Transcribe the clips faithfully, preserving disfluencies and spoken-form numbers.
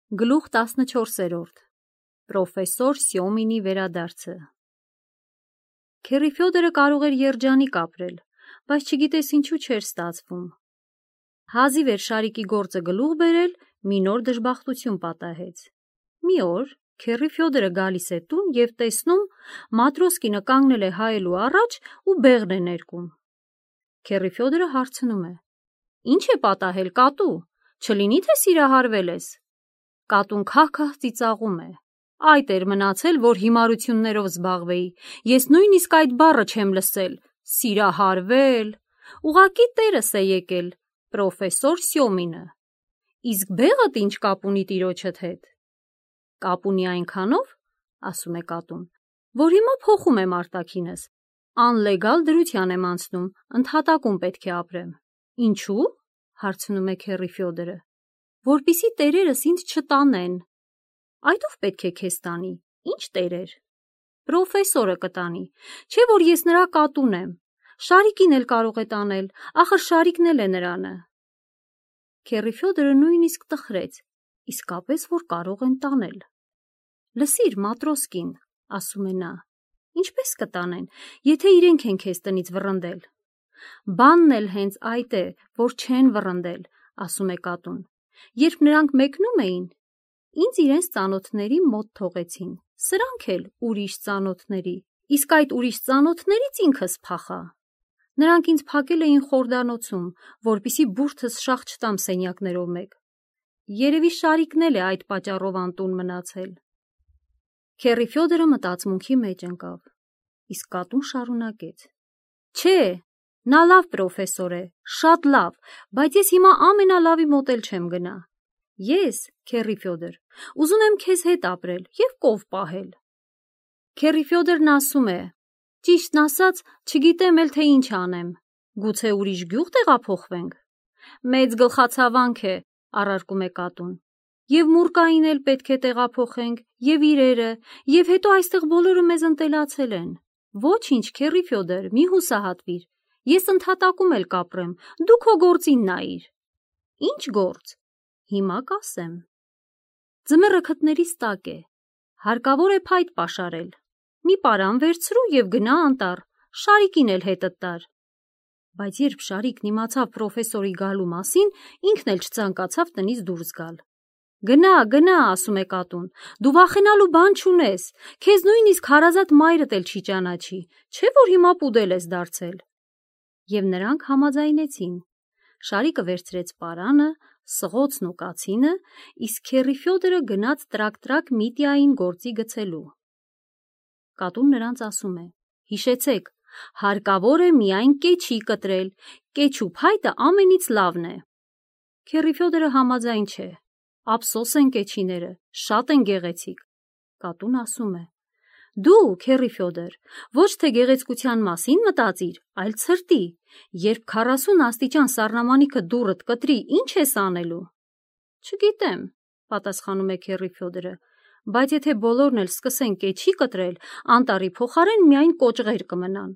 Գլուխ տասնչորսերորդ Պրոֆեսոր Սյոմինի վերադարձը Քերի Ֆյոդորը կարող էր երջանիկ ապրել, բայց չգիտես ինչու չէր ստացվում։ Հազիվ էր Շարիկի գործը գլուխ բերել, մի նոր դժբախտություն պատահեց։ Մի օր Քերի Ֆյոդորը գալիս է տուն և տեսնում Մատրոսկինը կանգնել է հայելու առաջ ու բեղն է ներկում։ Քերի Ֆյոդորը հարցնում է. Ինչ է պատահել, կատու, չլինի թե սիրահարվել ես։ Կատուն քահ-քահ ծիծաղում է. Այդ էր մնացել, որ հիմարություններով զբաղվեի, ես նույնիսկ այդ բառը չեմ լսել, սիրահարվել, ուղղակի տերս է եկել, պրոֆեսոր Սյոմինը։ Իսկ բեղդ ինչ կապ ունի տիրոջդ հետ։ Կապ ունի այնքանով, ասում է կատուն, որ հիմա փոխում եմ արտաքինս, անլեգալ դրության եմ անցնում, ընդհատակում պետք է ապրեմ։ Ինչու՞, հարցնում է Քերի Ֆյոդորը, որպեսզի տերերս ինձ չտանեն։ Այդ ով պետք է քեզ տանի, ինչ տերեր։ Պրոֆեսորը կտանի, չէ՞ որ ես նրա կատուն եմ, Շարիկին էլ կարող է տանել, ախր Շարիկն էլ է նրանը։ Քերի Ֆյոդորը նույնիսկ տխրեց, իսկապես որ կարող են տանել։ Լսիր, Մատրոսկին, ասում է նա, ինչպես կտանեն, եթե իրենք են քեզ տնից վռնդել։ Բանն էլ հենց այդ է, որ չեն վռնդել, ասում է կատուն։ Երբ նրանք մեկնում էին, ինձ իրենց ծանոթների մոտ թողեցին, սրանք էլ ուրիշ ծանոթների, իսկ այդ ուրիշ ծանոթներից ինքս փախա։ Նրանք ինձ փակել էին խորդանոցում, որպեսզի բուրդս շաղ չտամ սենյակներով մեկ։ Երևի Շարիկն էլ է այդ պատճառով անտուն մնացել։ Քերի Ֆյոդորը մտածմունքի մեջ ընկավ, իսկ կատուն շարունակեց. Չէ, նա լավ պրոֆեսոր է, շատ լավ, բայց ես հիմա ամենալավի մոտ էլ չեմ գնա։ Ես, Քերի Ֆյոդոր, ուզում եմ քեզ հետ ապրել և կով պահել։ Քերի Ֆյոդորն ասում է. Ճիշտն ասած, չգիտեմ էլ թե ինչ անեմ, գուցե ուրիշ գյուղ տեղափոխվենք։ Մեծ գլխացավանք է, առարկում է կատուն։ Եվ մուրկային էլ պետք է տեղափոխենք, և իրերը, և հետո այստեղ բոլորը մեզ ընտելացել են։ Ոչինչ, Քերի Ֆյոդոր, մի հուսահատվիր, ես ընդհատակում էլ կապրեմ, դու քո գործին նայիր։ Ինչ գործ։ Հիմա կասեմ։ Ձմեռը քթներիս տակ է, հարկավոր է փայտ պաշարել։ Մի պարան վերցրու և գնա անտառ, Շարիկին էլ հետդ տար։ Բայց երբ Շարիկն իմացավ պրոֆեսորի գալու մասին, ինքն էլ չցանկացավ տնից դուրս գալ։ Գնա, գնա, ասում է կատուն, դու վախենալու բան չունես, քեզ նույնիսկ հարազատ մայրդ էլ չի ճանաչի, չէ՞ որ հիմա պուդել ես դարձել։ Եվ նրանք համաձայնեցին։ Շարիկը վերցրեց պարանը, սղոցն ու կացինը, իսկ Քերի Ֆյոդորը գնաց տրակ-տրակ Միտիային գործի գցելու։ Կատուն նրանց ասում է. Հիշեցեք, հարկավոր է միայն կեչի կտրել, կեչու փայտը ամենից լավն է։ Քերի Ֆյոդորը համաձայն չէ։ Ափսոս են կեչիները, շատ են գեղեցիկ։ Կատուն ասում է. Դու, Քերի Ֆյոդոր, ոչ թե գեղեցկության մասին մտածիր, այլ ցրտի, երբ քառասուն աստիճան սառնամանիքը դուռդ կտրի, ինչ ես անելու։ Չգիտեմ, պատասխանում է Քերի Ֆյոդորը, բայց եթե բոլորն էլ սկսեն կեչի կտրել, անտառի փոխարեն միայն կոճղեր կմնան։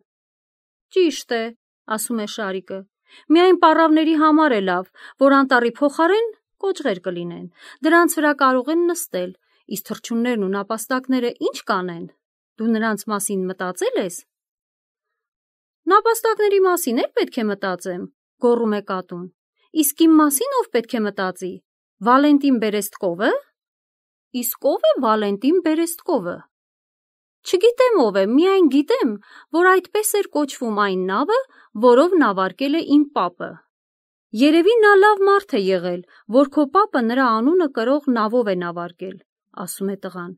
Ճիշտ է, ասում է Շարիկը, միայն պառավների համար է լավ, որ անտառի փոխարեն կոճղեր կլինեն, դրանց վրա կարող են նստել, իսկ թռչուններն ու նապաստակները ինչ կանեն, դու նրանց մասին մտածել ես։ Նապաստակների մասին էլ պետք է մտածեմ, գոռում է կատուն, իսկ իմ մասին ով պետք է մտածի, Վալենտին Բերեստկովը։ Իսկ ով է Վալենտին Բերեստկովը։ Չգիտեմ ով է, միայն գիտեմ, որ այդպես էր կոչվում այն նավը, որով նավարկել է իմ պապը։ Երևի նա լավ մարդ է եղել, որ քո պապը նրա անունը կրող նավով է նավարկել, ասում է տղան,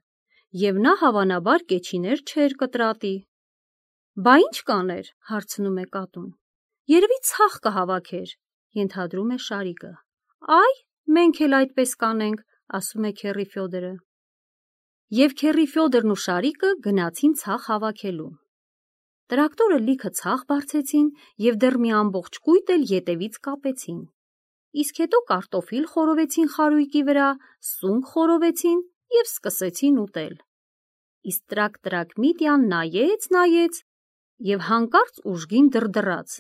և նա հավանաբար կեչիներ չէր կտրատի։ Բա ինչ կաներ, հարցնում է կատուն։ Երևի ցախ կհավաքեր, ենթադրում է Շարիկը։ Այ, մենք էլ այդպես կանենք, ասում է Քերի Ֆյոդորը։ Եվ Քերի Ֆյոդորն ու Շարիկը գնացին ցախ հավաքելու։ Տրակտորը լիքը ցախ բարձեցին և դեռ մի ամբողջ կույտ էլ ետևից կապեցին։ Իսկ հետո կարտոֆիլ խորովեցին խարույկի վրա, սունկ խորովեցին և սկսեցին ուտել։ Իսկ տրակ-տրակ Միտյան նայեց, նայեց և հանկարծ ուժգին դրդռաց։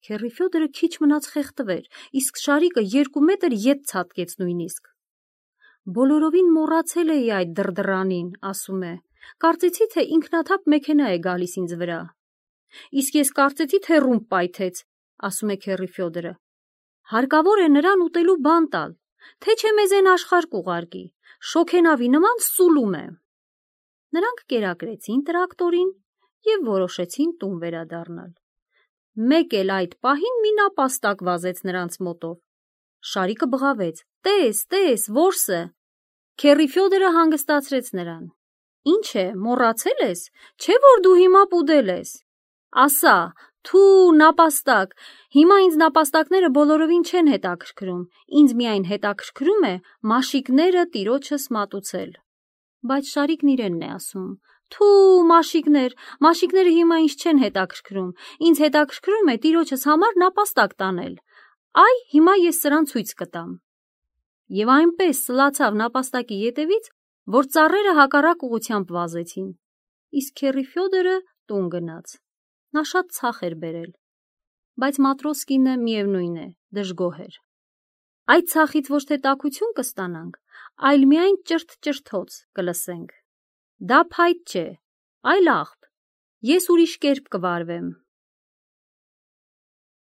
Քերի Ֆյոդորը քիչ մնաց խեղդվեր, իսկ Շարիկը երկու մետր ետ ցատկեց նույնիսկ։ Բոլորովին մոռացել էի այդ դրդրանին, ասում է, կարծեցի, թե ինքնաթափ մեքենա է գալիս ինձ վրա։ Իսկ ես կարծեցի, թե ռումբ պայթեց, ասում է քեռի Ֆյոդորը։ Հարկավոր է նրան ուտելու բան տալ, թե չէ մեզ են աշխարհ կուղարկի, շոգենավի նման սուլում է։ Նրանք կերակրեցին տրակտորին և որոշեցին տուն վերադառնալ։ Մեկ էլ այդ պահին մի նապաստակ վազեց նրանց մոտով։ Շարիկը բղավեց. «Տես, տես, որսը»։ Քեռի Ֆյոդորը հանգստացրեց նրան։ Ինչ է, մոռացել ես, չէ՞ որ դու հիմա պուդել ես։ Ասա, թու, նապաստակ, հիմա ինձ նապաստակները բոլորովին չեն հետաքրքրում, ինձ միայն հետաքրքրում է մաշիկները տիրոջս մատուցել։ Բայց Շարիկն իրենն է ասում. Թու, մաշիկներ, մաշիկները հիմա ինձ չեն հետաքրքրում, ինձ հետաքրքրում է տիրոջս համար նապաստակ տանել։ Այ, հիմա ես սրան ցույց կտամ։ Եվ այնպես սլացավ նապաստակի ետևից, որ ծառերը հակառակ ուղղությամբ վազեցին։ Իսկ քեռի Ֆյոդորը տուն գնաց։ Նա շատ ցախ էր բերել, բայց Մատրոսկինը միևնույն է, դժգոհ էր։ Այդ ցախից ոչ թե տաքություն կստանանք, այլ միայն ճրթ-ճրթոց կլսենք։ Դա փայտ չէ, այլ աղբ։ Ես ուրիշ կերպ կվարվեմ։